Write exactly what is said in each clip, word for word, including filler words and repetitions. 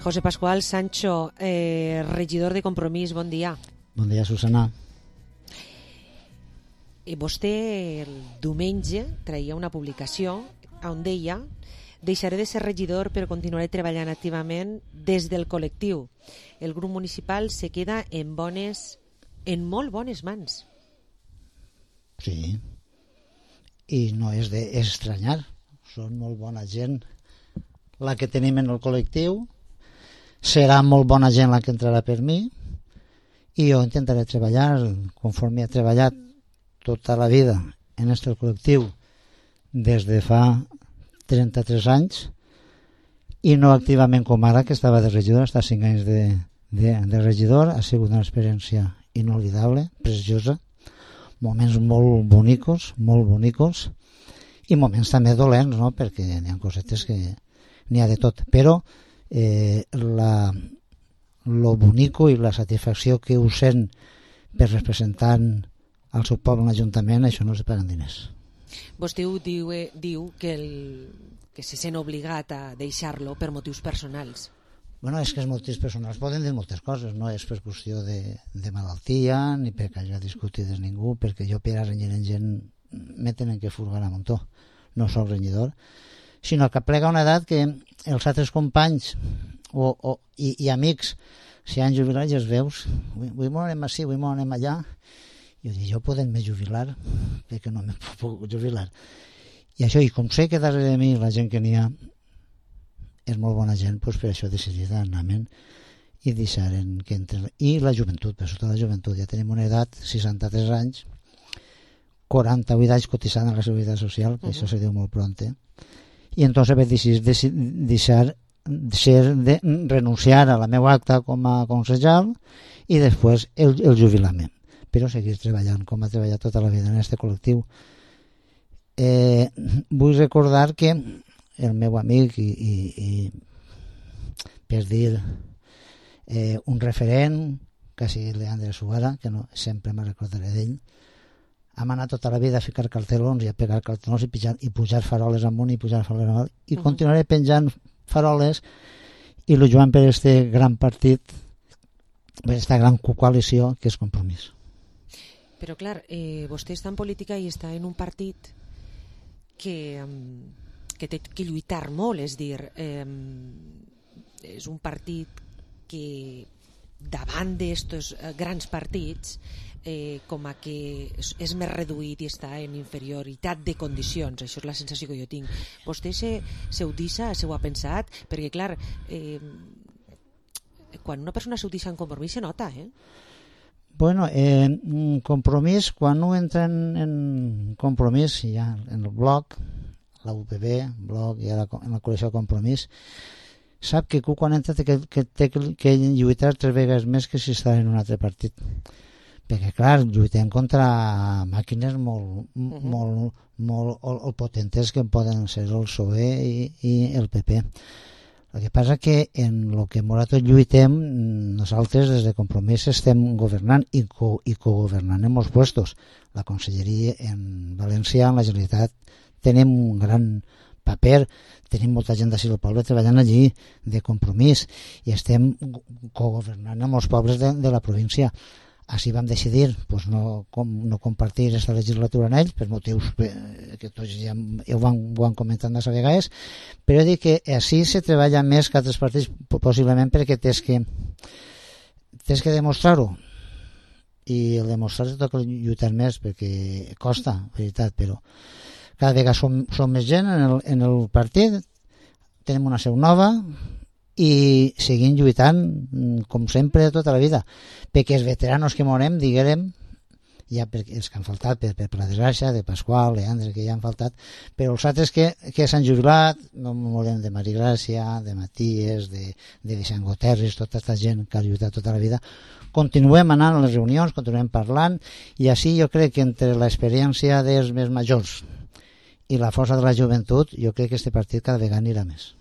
José Pascual Sancho, eh, regidor de Compromís, bon dia. Bon dia, Susana. Eh, vostè el diumenge traia una publicació on deia: deixaré de ser regidor però continuaré treballant activament des del col·lectiu. El grup municipal se queda en bones, en molt bones mans. Sí, i no és d'estranyar, són molt bona gent la que tenim en el col·lectiu, serà molt bona gent la que entrarà per mi, i jo intentaré treballar conforme he treballat tota la vida en este col·lectiu des de fa trenta-tres anys, i no activament com ara, que estava de regidor, està cinc anys de, de, de regidor. Ha sigut una experiència inolvidable, preciosa, moments molt bonicos, molt bonicos, i moments també dolents, no? Perquè n'hi ha cosetes que n'hi ha de tot, però eh, la, lo bonico i la satisfacció que ho sent per representant al seu poble en l'Ajuntament, això no es paguen diners. Vostè ho diu, eh, diu que, el, que se sent obligat a deixar-lo per motius personals. Bueno, és que els motius personals poden dir moltes coses, no és per qüestió de, de malaltia, ni perquè hagi discutit amb ningú, perquè jo per a renyir en gent me tenen que furgar a muntó, no soc renyidor, sinó que plega una edat que els altres companys o, o, i, i amics s'hi han jubilat i els veus, avui m'ho anem així, avui m'ho anem allà, i jo dic, jo podem-me jubilar, perquè no me puc jubilar. I això, i com sé que darrere de mi la gent que n'hi ha és molt bona gent, doncs per això he decidit anar-me'n i deixaren que entre... I la joventut, per sota la joventut, ja tenim una edat, seixanta-tres anys, quaranta-vuit anys cotitzant a la Seguretat Social, que uh -huh. això se diu molt pront, eh? I entonces vaig decidir deixar, deixar de renunciar a la meva acta com a concejal i després el, el jubilar-me, però seguir treballant com ha treballat tota la vida en aquest col·lectiu. Eh, vull recordar que el meu amic i, i, i per dir eh, un referent, quasi Leandre Suara, que no, sempre me recordaré d'ell, hem anat tota la vida a ficar cartelons i a pegar cartelons i, pujar, i pujar faroles amunt i pujar faroles amunt, i uh -huh. continuaré penjant faroles i lluitant per este gran partit, per aquesta gran coalició que és Compromís. Però clar, eh, vostè està en política i està en un partit que, que té que lluitar molt, és dir, eh, és un partit que davant d'estos grans partits eh, com a que és, és més reduït i està en inferioritat de condicions. Això és la sensació que jo tinc. Vostè se, se ho deixa, se ho ha pensat? Perquè clar, eh, quan una persona se ho deixa en Compromís se nota, eh? Bueno, eh, Compromís, quan un entra en, en Compromís, ja en el bloc, la U P B, bloc i ara en la col·lecció Compromís, sap que quan entra té que, que té que lluitar tres vegades més que si està en un altre partit. Perquè, clar, lluitem contra màquines molt, uh -huh. molt, molt, molt potentes que poden ser el P S O E i, i el P P. El que passa que en el que nosaltres lluitem, nosaltres des de Compromís estem governant i, co, i cogovernant en molts puestos. La Conselleria en València, en la Generalitat, tenim un gran paper, tenim molta gent d'ací del poble treballant allí de Compromís i estem cogovernant amb els pobles de, de la província. Així vam decidir pues, no, com, no compartir aquesta legislatura en ells per motius que tots ja ho van, ho han comentat massa vegades, però dic que així se treballa més que altres partits, possiblement perquè tens que tens que demostrar-ho, i el demostrar-ho toca lluitar més perquè costa, veritat, però cada vegada som, som més gent en el, en el partit, tenim una seu nova i seguim lluitant com sempre tota la vida, perquè els veteranos que morem, diguem, ja per, els que han faltat per, per la desgràcia de Pasqual, Leandre, que ja han faltat, però els altres que, que s'han jubilat, no morem de Mari Gràcia, de Matías, de, de Vicent Goterris, tota aquesta gent que ha lluitat tota la vida, continuem anant a les reunions, continuem parlant, i així jo crec que entre l'experiència dels més majors i la força de la joventut, jo crec que aquest partit cada vegada anirà més.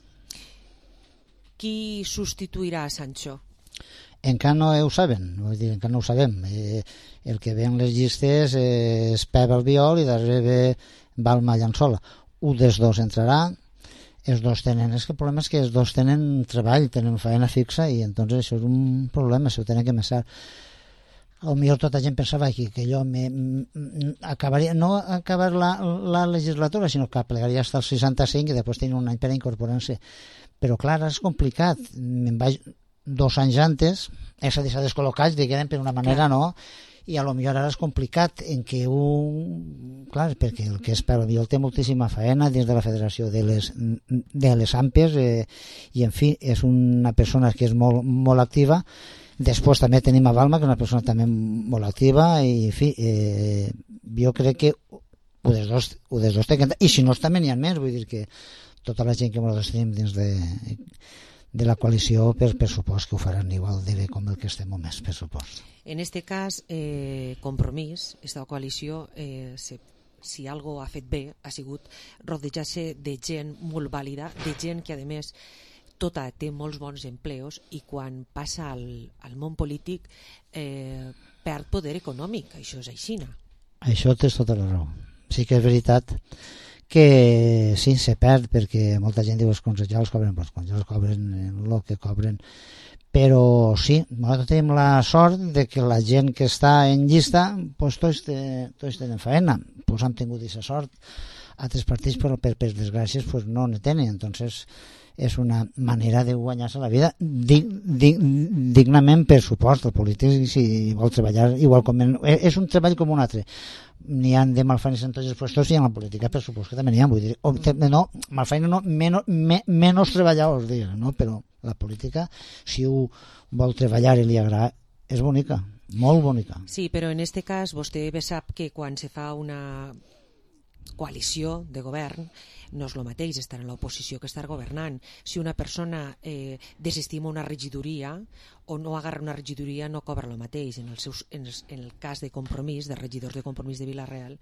Qui substituirà a Sancho? Encara no ho saben, vull dir, encara no ho sabem. Eh, el que ve en les llistes és Pep Albiol i darrere ve Balma Llançola. Un dels dos entrarà. els dos tenen, és que el problema és que els dos tenen treball, tenen feina fixa i entonces això és un problema, s'ho tenen que pensar. Potser tota gent pensava que, que jo me, me, acabaria, no acabar la, la legislatura, sinó que plegaria fins als seixanta-cinc i després tenir un any per incorporar-se. Però clar, és complicat. Me'n vaig dos anys antes, és a dir, s'ha descol·locat, diguem, per una manera, no? I a lo millor ara és complicat en què un... Clar, perquè el que és per mi, el té moltíssima feina dins de la federació de les, de les A M P E S eh, i, en fi, és una persona que és molt, molt activa. Després també tenim a Balma, que és una persona també molt activa i, en fi, eh, jo crec que ho dels dos, ho dels dos té que... I si no, també n'hi ha més, vull dir que tota la gent que nosaltres tenim dins de, de la coalició, per, per supost que ho faran igual de bé com el que estem o més, per supost. En este cas, eh, Compromís, esta coalició, eh, se, si algo ha fet bé, ha sigut rodejar-se de gent molt vàlida, de gent que, a més, tota té molts bons empleos i quan passa al, al món polític eh, perd poder econòmic. Això és aixina. Això tens tota la raó. Sí que és veritat que sí, se perd perquè molta gent diu que els consellers cobren, els consellers cobren el que cobren, però sí, nosaltres tenim la sort de que la gent que està en llista pues, tots, te, tots tenen feina, pues, han tingut aquesta sort. Altres partits, però per, per desgràcies pues, no ne tenen, entonces és una manera de guanyar-se la vida dig, dig, dignament, per supost. El polític, si vol treballar igual com... En, és un treball com un altre. N'hi ha de malfeines en tots els puestos i en la política, per supost que també n'hi ha. Vull dir, o, no, malfeines no, menos, me, menys treballadors, diguem, no? Però la política, si ho vol treballar i li agrada, és bonica, molt bonica. Sí, però en este cas vostè bé sap que quan se fa una coalició de govern no és el mateix estar en l'oposició que estar governant. Si una persona eh, desestima una regidoria o no agarra una regidoria no cobra el mateix. En el, seus, en, el, en el cas de Compromís, de regidors de Compromís de Vila-real,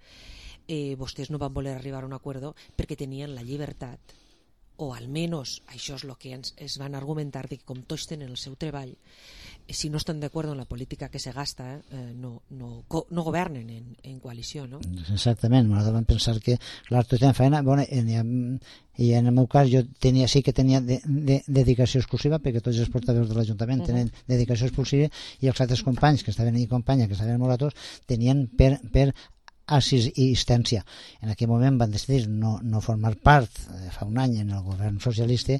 eh, vostès no van voler arribar a un acord perquè tenien la llibertat, o almenys això és el que ens, es van argumentar, de que com tots tenen el seu treball, si no estan d'acord amb la política que se gasta, eh, no, no, no governen en, en coalició, no? Exactament, nosaltres vam pensar que clar, tots tenen feina, bueno, en, i en el meu cas jo tenia, sí que tenia de, de, dedicació exclusiva, perquè tots els portaveus de l'Ajuntament uh -huh. tenen dedicació exclusiva, i els altres companys que estaven i companya, que estaven morators, tenien per, per assistència. En aquell moment van decidir no, no formar part, eh, fa un any, en el govern socialista,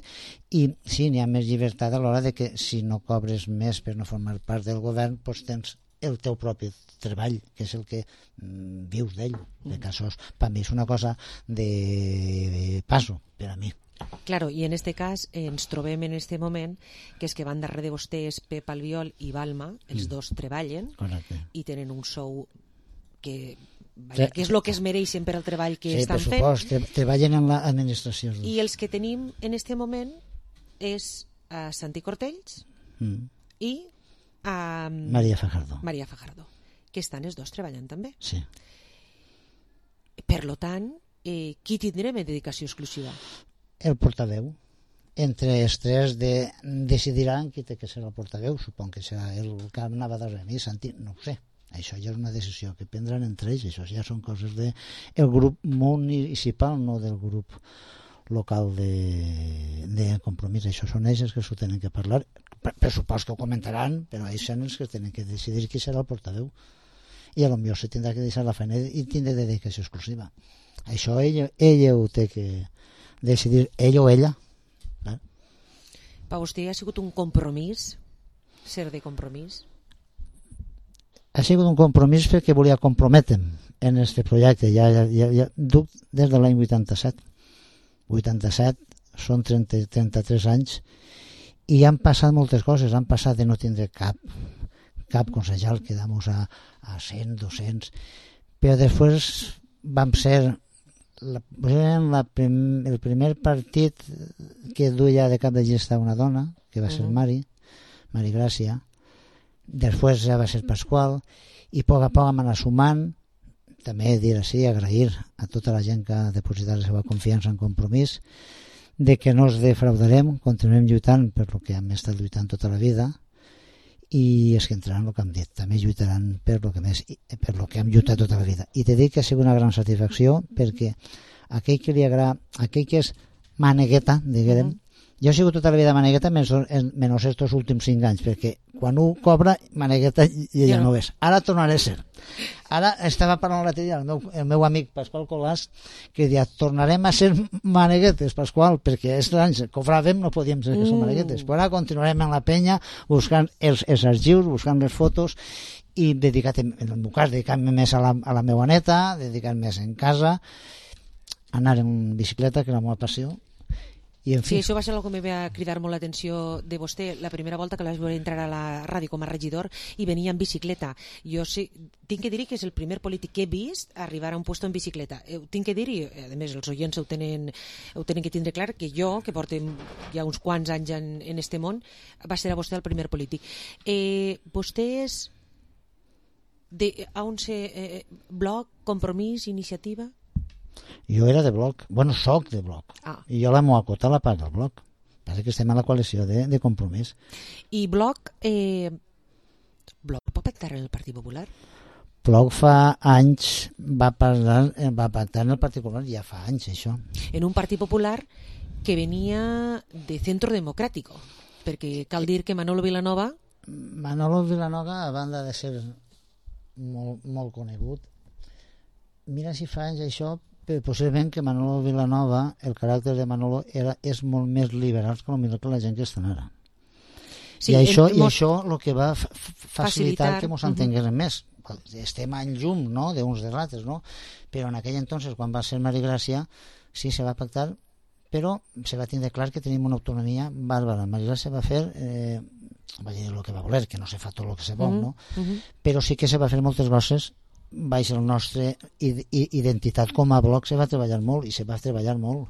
i sí, n'hi ha més llibertat a l'hora de que si no cobres més per no formar part del govern, doncs tens el teu propi treball, que és el que mm, vius d'ell. De casos, per mi és una cosa de passo, per a mi. Claro, i en este cas eh, ens trobem en este moment que és que van darrere de vostès Pep Albiol i Balma, els mm. dos treballen. Correcte. I tenen un sou que... Vaja, que és el que es mereixen per al treball que sí, estan fent. Sí, per supost, tre treballen en l'administració. I els que tenim en este moment és a Santi Cortells mm. i a Maria Fajardo. Maria Fajardo, que estan els dos treballant també. Sí. Per lo tant, eh, qui tindrem en dedicació exclusiva? El portaveu. Entre els tres de, decidiran qui té que ser el portaveu. Supon que serà el que anava darrere mi, Santi, no ho sé. Això ja és una decisió que prendran entre ells, això ja són coses del de grup municipal, no del grup local de, de Compromís. Això són ells que s'ho tenen que parlar. Per, per supost que ho comentaran, però ells són els que tenen que decidir qui serà el portaveu. I potser se tindrà que deixar la feina i tindrà dedicació exclusiva. Això ella, ella ho té que decidir, ell o ella. Eh? Per vostè ha sigut un compromís ser de Compromís? Ha sigut un compromís perquè volia comprometre'm en aquest projecte. Ja, ja, ja, ja duc des de l'any vuitanta-set. vuitanta-set són trenta, trenta-tres anys i han passat moltes coses. Han passat de no tindre cap cap consellal, quedamos a, a cent, dos-cents, però després vam ser la, la prim, el primer partit que duia de cap de llista una dona, que va ser Mari, Mari Gràcia. Després ja va ser Pasqual, i a poc a poc hem anat sumant. També dir així, agrair a tota la gent que ha depositat la seva confiança en Compromís, de que no ens defraudarem, continuem lluitant per lo que hem estat lluitant tota la vida, i és que entraran el que hem dit, també lluitaran per lo que més, per lo que hem lluitat tota la vida. I te dic que ha sigut una gran satisfacció perquè aquell que li agrada, aquell que és manegueta, diguem. Mm. Jo he sigut tota la vida manegueta, menys, menys estos últims cinc anys, perquè quan un cobra, manegueta i ja no és. Ara tornaré a ser. Ara estava parlant l'altre dia el meu, el meu amic Pasqual Colàs, que deia, tornarem a ser maneguetes, Pasqual, perquè aquests anys cobràvem, no podíem ser que som maneguetes. Però ara continuarem en la penya buscant els, els arxius, buscant les fotos, i dedicat, en el meu cas, dedicant-me més a la, a la meva neta, dedicant més en casa, anar en bicicleta, que és la meva passió. I en fi... Sí, això va ser el que em va cridar molt l'atenció de vostè la primera volta que la vaig veure entrar a la ràdio com a regidor i venia en bicicleta. Jo sé, tinc que dir que és el primer polític que he vist arribar a un puesto en bicicleta. Ho tinc que dir, i a més els oients ho tenen, ho tenen que tindre clar, que jo, que portem ja uns quants anys en, en este món, va ser a vostè el primer polític. Eh, vostè és de, a on se, eh, Bloc, Compromís, Iniciativa? Jo era de Bloc, bueno, soc de Bloc, ah. I jo la meva cota la paga del Bloc. Passa que estem a la coalició de, de Compromís. I Bloc, eh, Bloc pot pactar en el Partit Popular? Bloc fa anys va, parlar, va pactar en el Partit Popular, ja fa anys això. En un Partit Popular que venia de Centro Democrático, perquè cal dir que Manolo Vilanova... Manolo Vilanova, a banda de ser molt, molt conegut, mira si fa anys això, possiblement que Manolo Vilanova, el caràcter de Manolo era, és molt més liberal que, que la gent que estan ara. Sí, I això, i això el que va f facilitar, facilitar que ens entenguéssim uh -huh. més. Estem en llum, no?, d'uns de l'altres, no? Però en aquell entonces, quan va ser Mari Gràcia, sí, se va pactar, però se va tindre clar que tenim una autonomia bàrbara. Mari Gràcia va fer, eh, va dir el que va voler, que no se fa tot el que se vol, uh -huh. no? Uh -huh. Però sí que se va fer moltes coses baix la nostra identitat com a Bloc. Se va treballar molt i se va treballar molt.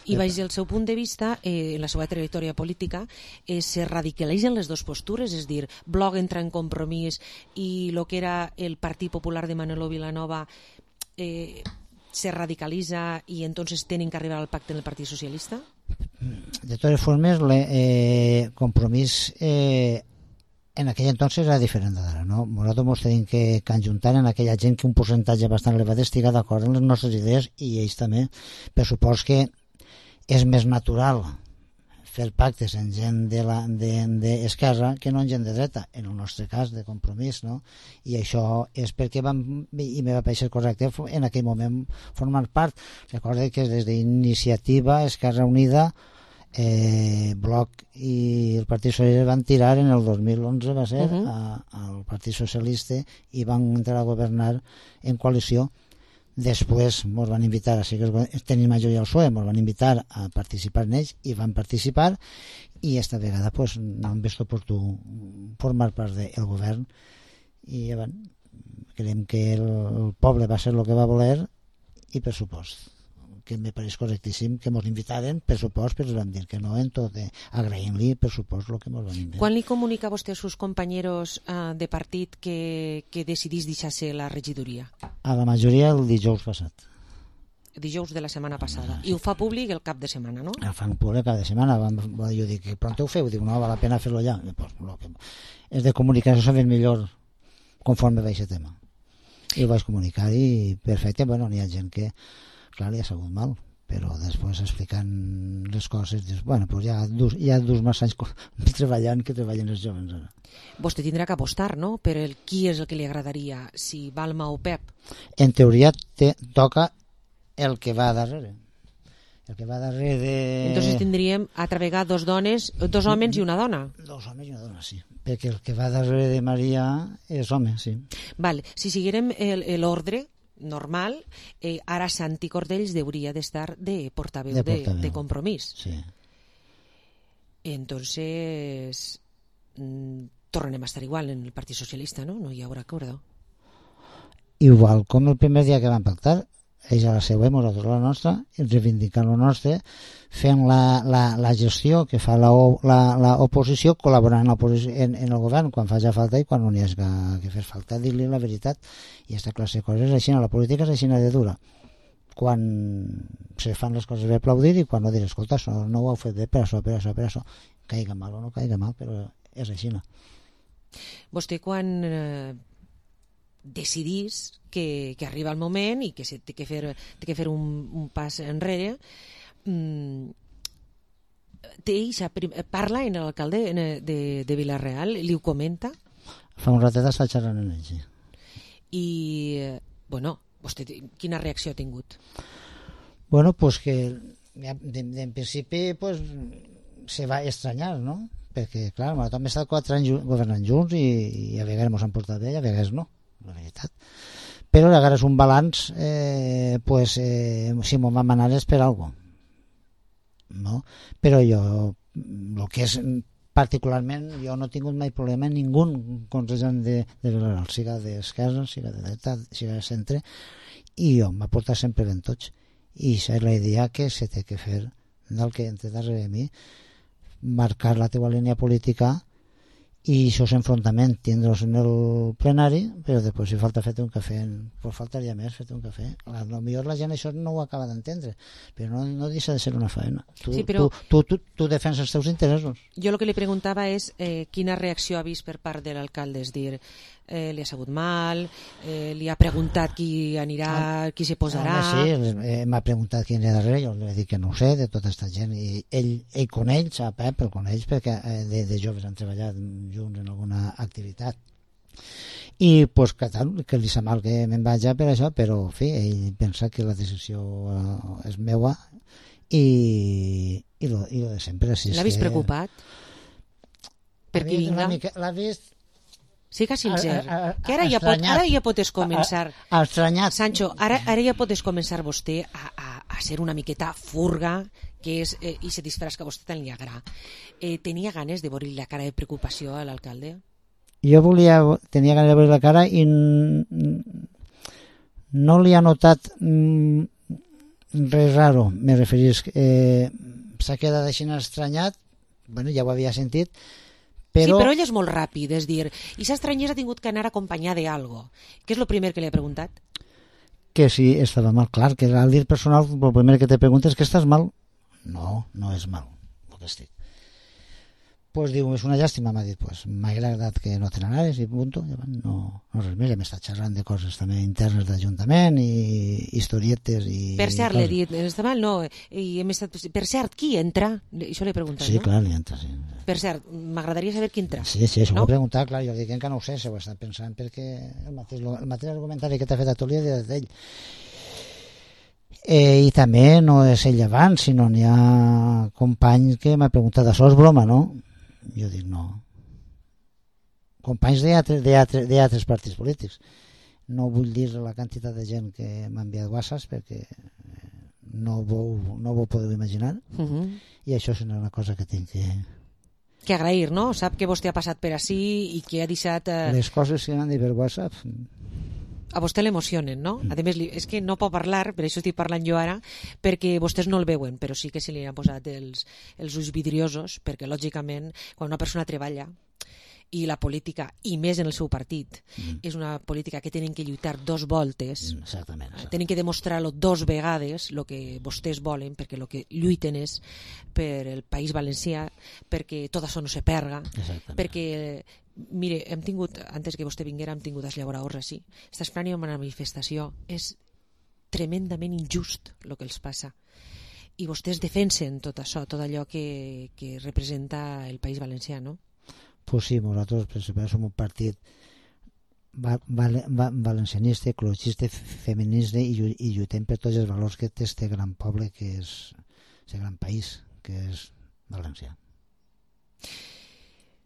I baix el seu punt de vista, eh, en la seva trajectòria política, eh, se radicalitzen les dues postures, és dir, Bloc entra en Compromís i el que era el Partit Popular de Manolo Vilanova eh, se radicalitza i entonces tenen que arribar al pacte en el Partit Socialista? De totes formes, le, eh, Compromís... Eh, en aquell entonces era diferent d'ara, no? Nosaltres ens tenim que conjuntar en aquella gent que un percentatge bastant elevat estigui d'acord amb les nostres idees i ells també. Per supòs que és més natural fer pactes en gent d'esquerra que no en gent de dreta, en el nostre cas de Compromís, no? I això és perquè vam, i me va parecer correcte en aquell moment formar part. Recorda que des d'Iniciativa, Esquerra Unida, Eh, Bloc i el Partit Socialista van tirar en el dos mil onze, va ser, uh -huh. a, al Partit Socialista i van entrar a governar en coalició. Després ens van invitar, així que tenim majoria al P S O E, ens van invitar a participar en ells i van participar, i esta vegada pues, no hem vist oportú formar part del govern i ja van, creiem que el, el poble va ser el que va voler i per supost que me pareix correctíssim que ens invitaren, per supost, però vam dir que no en tot, eh, agraint-li, per supost, el que ens van invitar. Quan li comunica vostè als seus companys eh, de partit que, que decidís deixar-se la regidoria? A la majoria el dijous passat. Dijous de la setmana passada. I ho fa públic el cap de setmana, no? El fan públic el cap de setmana. Jo dic, que pronto ho feu? Dic, no, val la pena fer-lo ja. Pues, lo que és de comunicació saber millor conforme va aquest tema. I ho vaig comunicar i perfecte. Bueno, n'hi ha gent que clar, li ha sabut mal, però després explicant les coses, dius, bueno, pues ja, dus, ja dus massa anys treballant que treballen els joves ara. Vostè tindrà que apostar, no?, per el qui és el que li agradaria, si Balma o Pep. En teoria te toca el que va darrere. El que va darrere de... Entonces tindríem altra vegada dos dones, dos homes i una dona. Dos homes i una dona, sí. Perquè el que va darrere de Maria és home, sí. Val, si seguirem l'ordre normal, eh, ara Santi Cordells hauria d'estar de portaveu de, de, de Compromís. Sí. Entonces mm, tornem a estar igual en el Partit Socialista, ¿no? No hi haurà acord. Igual com el primer dia que van pactar, ells a la seva, nosaltres a la nostra, reivindicant la nostra, fent la, la, la gestió que fa l'oposició, col·laborant en, en, en el govern quan faci falta i quan no n'hi ha que, que fer falta, dir-li la veritat. I aquesta classe de coses és així, la política és així de dura. Quan se fan les coses bé aplaudir i quan no dir, escolta, no, no ho heu fet bé per això, per això, per això. Caiga mal o no caiga mal, però és així. Vostè quan eh, decidís que, que arriba el moment i que se té que fer, té que fer un, un pas enrere, mm, té eixa, parla en l'alcalde de, de Vila-real, li ho comenta? Fa un ratet està xerrant en ell, sí. I, bueno, vostè quina reacció ha tingut? Bueno, pues que en principi pues, se va estranyar, no? Perquè, clar, nosaltres hem estat quatre anys governant junts i, i a vegades ens han portat bé i a vegades no, la veritat. Però a vegades un balanç, eh, pues, eh, si m'ho van manar és per alguna cosa. No? Però jo, el que és particularment, jo no he tingut mai problema amb ningú consellant de, de Vilareal, siga d'esquerra, siga de dreta, siga de centre, i jo m'ha portat sempre ben tots. I això és la idea que se té que fer del que entre darrere de mi, marcar la teva línia política i això és enfrontament, tindre'ls en el plenari, però després si falta fer un cafè, pues faltaria més fer un cafè. A lo millor la gent això no ho acaba d'entendre, però no, no deixa de ser una faena. Tu, sí, però... tu, tu, tu, tu defenses els teus interessos. Jo el que li preguntava és eh, quina reacció ha vist per part de l'alcalde, és dir, eh, li ha sabut mal, eh, li ha preguntat qui anirà, ah, qui s'hi posarà... Ah, sí, eh, m'ha preguntat qui anirà darrere, jo li he dit que no ho sé, de tota aquesta gent, i ell, ell coneix, sap, eh, però coneix perquè eh, de, de joves han treballat junts en alguna activitat. I pues, que, tal, que li sap mal que me'n vaig per això, però en fi, ell pensa que la decisió eh, és meua i, i, lo, i lo de sempre. Si l'ha vist que... preocupat? Perquè vinga... L'ha vist... Siga sincer, a, a, a, que ara ja, pot, ara ja pots començar... A, a, estranyat. Sancho, ara, ara ja pots començar vostè a, a, a ser una miqueta furga, que és eh, i se disfraç que a vostè tant li agrada. Eh, tenia ganes de veure la cara de preocupació a l'alcalde? Jo volia, tenia ganes de veure la cara i no li ha notat mm, res raro, me referís. Eh, s'ha quedat així estranyat, bueno, ja ho havia sentit, però... Sí, però ell és molt ràpid, és dir, i s'estranyés ha tingut que anar acompanyar de algo. Què és el primer que li ha preguntat? Que si estava mal, clar, que al dir personal, el primer que te pregunta és que estàs mal. No, no és mal, el que estic. Pues diu, és una llàstima, m'ha dit, pues m'ha agradat que no te n'anaves i punto. No, no res més, hem estat xerrant de coses també internes d'Ajuntament i historietes i... Per cert, l'he dit, està mal, no, i hem estat... Per cert, qui entra? Això l'he preguntat, sí, no? Sí, clar, li entra, sí. Per cert, m'agradaria saber qui entra. Sí, sí, això no? Ho he preguntat, clar, jo dic que no ho sé, se ho he estat pensant perquè el mateix, el mateix argumentari que t'ha fet a tu li he dit d'ell. Eh, I també no és ell abans, sinó n'hi ha companys que m'ha preguntat, això és broma, no? Jo dic, no. Companys d'altres partits polítics. No vull dir la quantitat de gent que m'ha enviat whatsapps perquè no vau, no vau podeu imaginar. Uh -huh. I això és una cosa que tinc que... Que agrair, no? Sap que vostè ha passat per ací i que ha deixat... Eh... Les coses que m'han dit per WhatsApp... A vostè l'emocionen, no? A més, és que no pot parlar, per això estic parlant jo ara, perquè vostès no el veuen, però sí que se li han posat els, els ulls vidriosos, perquè lògicament quan una persona treballa i la política, i més en el seu partit, mm. és una política que tenen que lluitar dos voltes, exactament, exactament. Tenen que demostrar-lo dos vegades el que vostès volen, perquè el que lluiten és per el País Valencià, perquè tot això no se perga, perquè, mire, hem tingut, antes que vostè vinguera, hem tingut els llaboradors així, està esperant una manifestació, és tremendament injust el que els passa, i vostès defensen tot això, tot allò que, que representa el País Valencià, no? Pues sí, nosaltres principalment som un partit val, val, val, valencianista, ecologista, feminista i, i lluitem per tots els valors que té este gran poble que és aquest gran país que és València.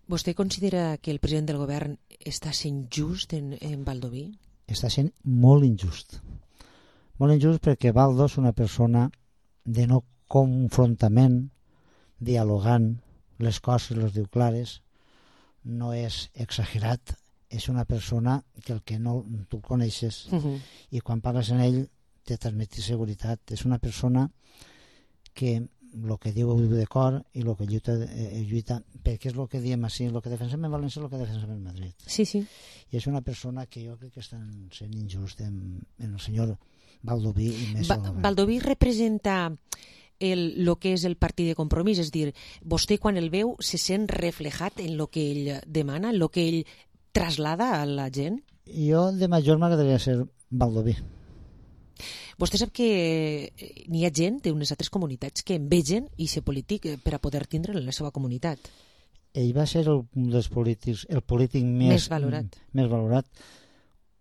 Vostè considera que el president del govern està sent just en, en Baldoví? Està sent molt injust. Molt injust perquè Baldo és una persona de no confrontament, dialogant, les coses les diu clares, no és exagerat, és una persona que el que no tu coneixes uh-huh. i quan parles en ell te transmeti seguretat. És una persona que el que diu de cor i el que lluita, eh, lluita perquè és el que diem així, el que defensem en València és el que defensem en Madrid. Sí, sí. I és una persona que jo crec que estan sent injust en, en el senyor Baldoví i més ba- Baldoví representa el, lo que és el partit de Compromís, és dir, vostè quan el veu se sent reflejat en lo que ell demana, en lo que ell traslada a la gent? Jo de major m'agradaria ser Baldoví. Vostè sap que n'hi ha gent d'unes altres comunitats que envegen i ser polític per a poder tindre en la seva comunitat. Ell va ser el, un dels polítics, el polític més, més valorat. Més valorat.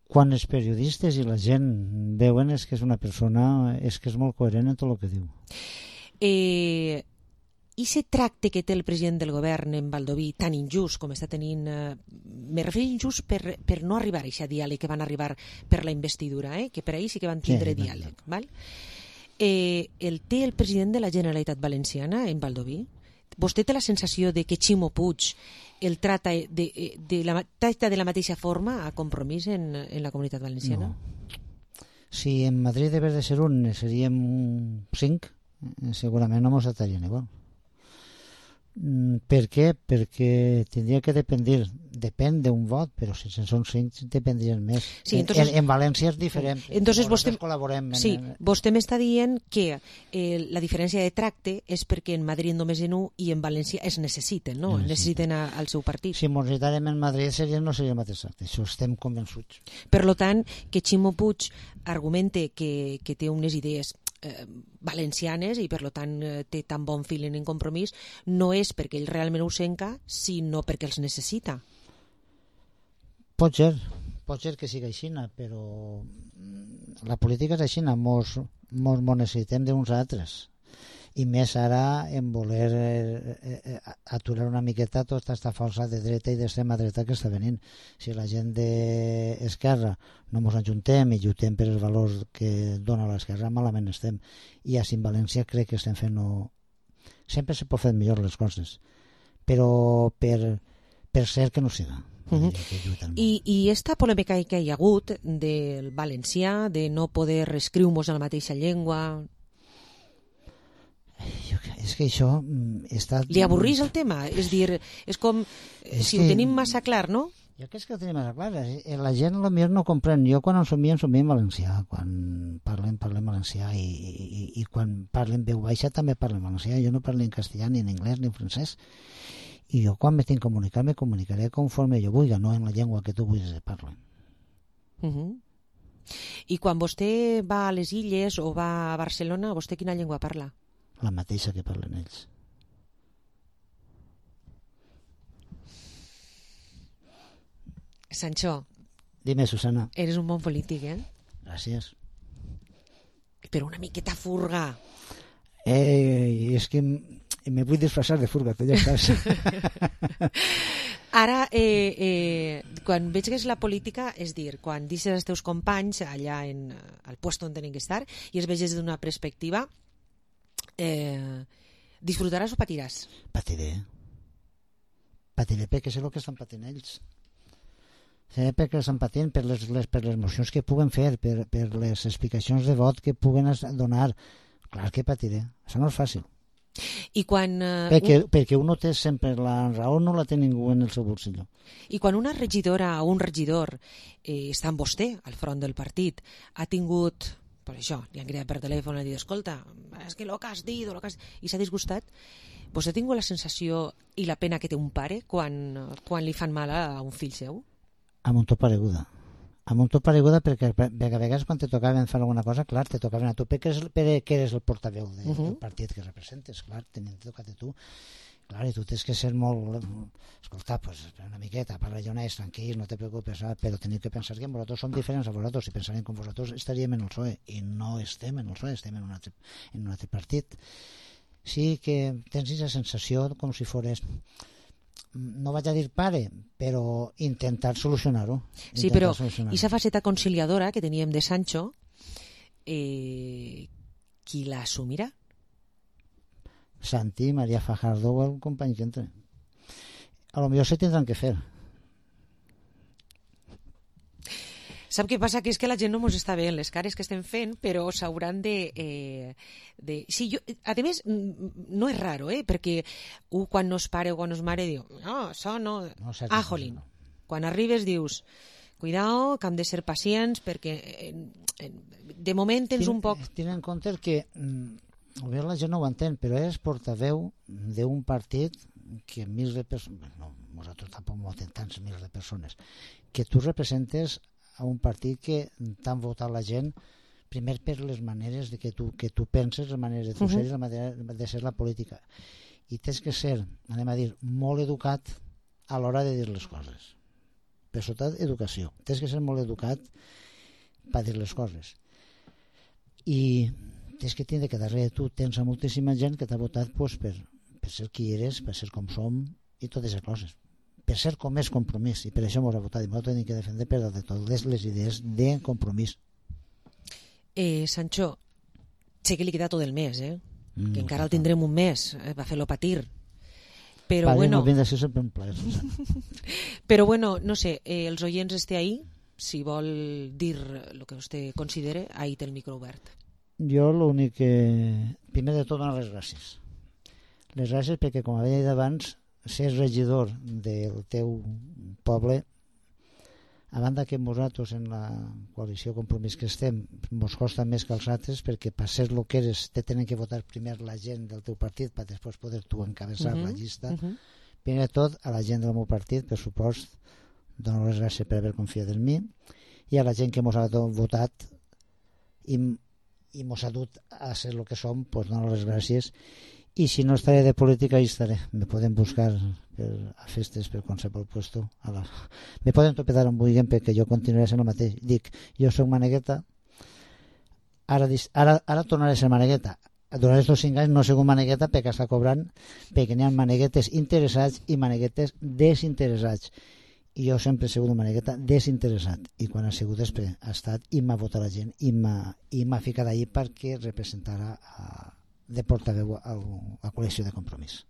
Quan els periodistes i la gent veuen és que és una persona, és que és molt coherent en tot el que diu. Eh... I aquest tracte que té el president del govern en Baldoví, tan injust com està tenint, eh, me refereixo injust per, per no arribar a aquest diàleg que van arribar per la investidura, eh, que per ahir sí que van tindre sí, diàleg. Sí. Val? Eh, el té el president de la Generalitat Valenciana en Baldoví? Vostè té la sensació de que Ximo Puig el trata de, de, la, tracta de la mateixa forma a Compromís en, en la Comunitat Valenciana? No. Si en Madrid debes de ser un, seríem cinc, segurament no mos atarien igual. Per què? Perquè tindria que dependre, depèn d'un vot, però si són cinc dependrien més. Sí, entonces, en, en València és diferent. Entonces vostè, col·laborem. En, sí, vostè m'està dient que eh, la diferència de tracte és perquè en Madrid només en un i en València es necessiten, no? Necessiten, necessiten a, al seu partit. Si ens necessitàrem en Madrid seria, no seria el mateix tracte, això estem convençuts. Per tant, que Ximo Puig argumente que, que té unes idees Eh, valencianes i per tant eh, té tan bon feeling en Compromís, no és perquè ell realment ho senca, sinó perquè els necessita. Pot ser, pot ser que sigui així, però la política és així, mos, mos, mos necessitem d'uns altres, i més ara en voler eh, eh, aturar una miqueta tota aquesta força de dreta i d'extrema dreta que està venint. Si la gent d'esquerra no ens ajuntem i lluitem per els valors que dona l'esquerra, malament estem. I així en València crec que estem fent... No... Sempre se pot fer millor les coses, però per, per ser que no siga. Uh-huh. I, I esta polèmica que hi ha hagut del valencià, de no poder escriure-nos en la mateixa llengua... És que això està... Li avorrís el tema? És dir, és com és si que... ho tenim massa clar, no? Jo crec que ho tenim massa clar. La gent potser no comprèn. Jo quan ensomia, ensomia en valencià. Quan parlem, parlem valencià i, i, i quan parlem veu baixa també parlem valencià. Jo no parlo en castellà, ni en anglès, ni en francès. I jo quan me tinc que comunicar, me comunicaré conforme jo vulgui, no en la llengua que tu vulguis parlar. Uh-huh. I quan vostè va a les Illes o va a Barcelona, vostè quina llengua parla? La mateixa que parlen ells. Sancho. Dime, Susana. Eres un bon polític, eh? Gràcies. Però una miqueta furga. Eh, és que me vull disfressar de furga, tu ja saps. Ara, eh, eh, quan veig que és la política, és dir, quan deixes els teus companys allà en, al lloc on tenen que estar i es veges d'una perspectiva, Eh, disfrutaràs o patiràs? Patiré. Patiré perquè sé el que estan patint ells. Sé perquè estan patint per les, les, per les mocions que puguen fer, per, per les explicacions de vot que puguen donar. Clar que patiré. Això no és fàcil. I quan, uh, perquè, un... perquè uno té sempre la raó, no la té ningú en el seu bolsillo. I quan una regidora o un regidor eh, està amb vostè al front del partit, ha tingut... per això, li han cridat per telèfon i han dit, escolta, és que el que has dit, lo que has... i s'ha disgustat. Vostè ha tingut la sensació i la pena que té un pare quan, quan li fan mal a un fill seu? Amb un tot pareguda. Amb un tot pareguda perquè, perquè a vegades quan te tocaven fer alguna cosa, clar, te tocaven a tu perquè eres, perquè eres el portaveu de, uh -huh. del partit que representes, clar, tenint tocat a tu. Clar, i tu tens que ser molt... Escolta, pues, una miqueta, parla honest, tranquil, no te preocupes, però tenim que pensar que nosaltres som diferents a vosaltres. Si pensarem com vosaltres estaríem en el P S O E, i no estem en el P S O E, estem en un altre, en un altre partit. Sí que tens aquesta sensació com si fores... No vaig a dir pare, però intentar solucionar-ho. Sí, però aquesta faceta conciliadora que teníem de Sancho, eh, qui l'assumirà? Santi, María Fajardo o el company que entre. A lo millor se tindran que fer. Sap què passa? Que és que la gent no mos està veient les cares que estem fent, però s'hauran de... Eh, de... Sí, jo, a més, no és raro, eh? Perquè un quan no és pare o quan no és mare diu no, això no... no ah, jolín. No. Quan arribes dius cuidao, que hem de ser pacients perquè eh, de moment tens Tien, un poc... Tien en compte que... Bé, la gent no ho entén, però és portaveu d'un partit que mils de persones, no, nosaltres tampoc no tenim tants mils de persones, que tu representes a un partit que t'han votat la gent Primer per les maneres de que tu, que tu penses, les maneres de tu uh -huh. ser i la manera de ser la política. I tens que ser, anem a dir, molt educat a l'hora de dir les coses. Per sota educació. Tens que ser molt educat per dir les coses. I tens que tindre que darrere tu tens a moltíssima gent que t'ha votat pues, per, per ser qui eres, per ser com som i totes les coses. Per ser com és Compromís. I per això m'ho ha votat. I m'ho tenim que defendre per de totes les idees de Compromís. Eh, Sancho, sé que li queda tot el mes, eh? Mm, que encara el tindrem un mes, eh? va fer-lo patir. Però Padre, bueno... de ser sempre un plaer, Però bueno, no sé, eh, els oients esté ahí, si vol dir el que vostè considere, ahí té el micro obert. Jo l'únic que... Primer de tot, donar les gràcies. Les gràcies perquè, com havia dit abans, ser regidor del teu poble, a banda que nosaltres en la coalició Compromís que estem ens costa més que els altres perquè per ser el que eres te tenen que votar primer la gent del teu partit per després poder tu encabeçar uh -huh, la llista. Uh -huh. Primer de tot a la gent del meu partit, per supost, dono les gràcies per haver confiat en mi, i a la gent que ens ha votat i, i ens ha dut a ser el que som, pues dono les gràcies. I si no estaré de política, hi estaré. Me poden buscar per, a festes per qualsevol puesto. A la... Me poden topedar on vulguin perquè jo continuaré sent el mateix. Dic, jo soc manegueta, ara, ara, ara tornaré a ser manegueta. Durant aquests cinc anys no soc manegueta perquè està cobrant, perquè n'hi ha maneguetes interessats i maneguetes desinteressats. I jo sempre he sigut una manegueta desinteressat. I quan ha sigut després ha estat i m'ha votat la gent i m'ha ficat allí perquè representara a de portaveu a la col·lecció de Compromís.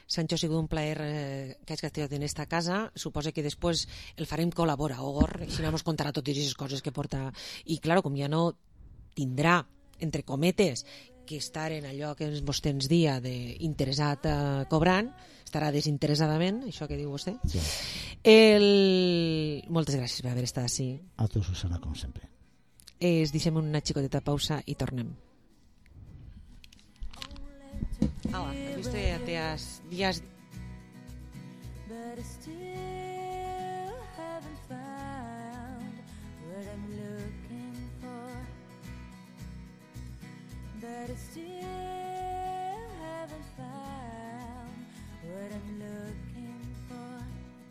Sancho, ha sigut un plaer eh, que hagi estat en esta casa. Suposo que després el farem col·laborador, així no ens contarà totes aquestes coses que porta. I, clar, com ja no tindrà, entre cometes, que estar en allò que vostè ens dia d'interessat eh, cobrant, estarà desinteressadament, això que diu vostè. Sí. El... Moltes gràcies per haver estat així. A tu, Susana, com sempre. Es deixem una xicoteta pausa i tornem. Hola, has visto ya te has días but I still haven't found what I'm looking for, but I still